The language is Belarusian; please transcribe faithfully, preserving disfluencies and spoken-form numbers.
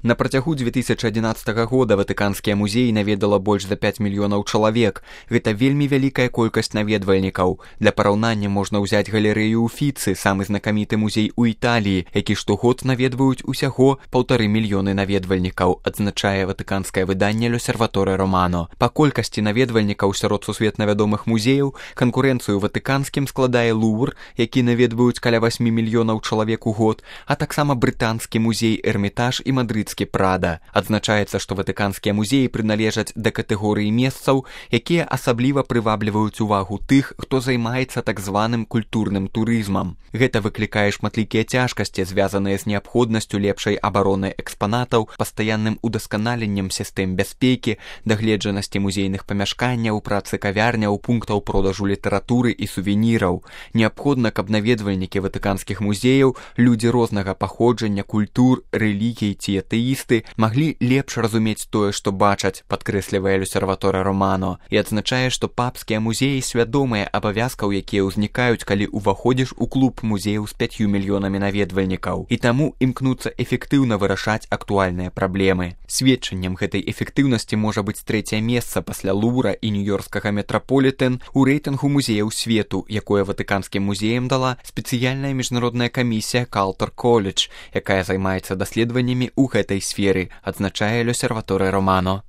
На працягу дзве тысячы адзінаццатага года ватыканскія музеі наведала больш за пяць мільёнаў чалавек. Гэта вельмі вялікая колькасць наведвальнікаў. Для параўнання можна ўзяць галерэю Уфіцы, самы знакаміты музей у Італіі, які штогод наведваюць усяго паўтары мільёны наведвальнікаў, адзначае ватыканскае выданне «L'Osservatore Romano». Па колькасці наведвальнікаў сярод сусветна вядомых музеяў канкурэнцыю ватыканскім складае Лувр, які наведваюць каля васьмі мільёнаў чалавек у год, а таксама брытанскі музей Эрмітаж і мадрыдскі Прада. Адзначаецца, што ватыканскія музеі прыналежаць да катэгорыі месцаў, якія асабліва прывабліваюць увагу тых, хто займаецца так званым культурным турызмам. Гэта выклікае шматлікія цяжкасці, звязаныя з неабходнасцю лепшай абароны экспанатаў, пастаянным удасканаленнем сістэм бяспекі, дагледжанасці музейных памяшканняў, працы кавярняў, пунктаў продажу літаратуры і сувеніраў. Неабходна, каб наведвальнікі ватыканскіх музеяў, людзі рознага паходжання, культур, рэлігій ці атэісты маглі лепш разумець тое, што бачаць, падкрэслівае «L'Osservatore Romano», і адзначае, што папскія музеі свядомыя абавязкаў, якія ўзнікаюць, калі ўваходзіш у клуб музеяў з пяццю мільёнамі наведвальнікаў, і таму імкнуцца эфектыўна вырашаць актуальныя праблемы. Сведчаннем гэтай эфектыўнасці можа быць трэцяе месца пасля Лувра і нью-ёркскага метраполітэн у рэйтынгу музеяў свету, якое ватыканскім музеям дала спецыяльная міжнародная камісія Caltech College, якая займаецца даследаваннямі ў гэтай сферы, адзначае «L'Osservatore Romano».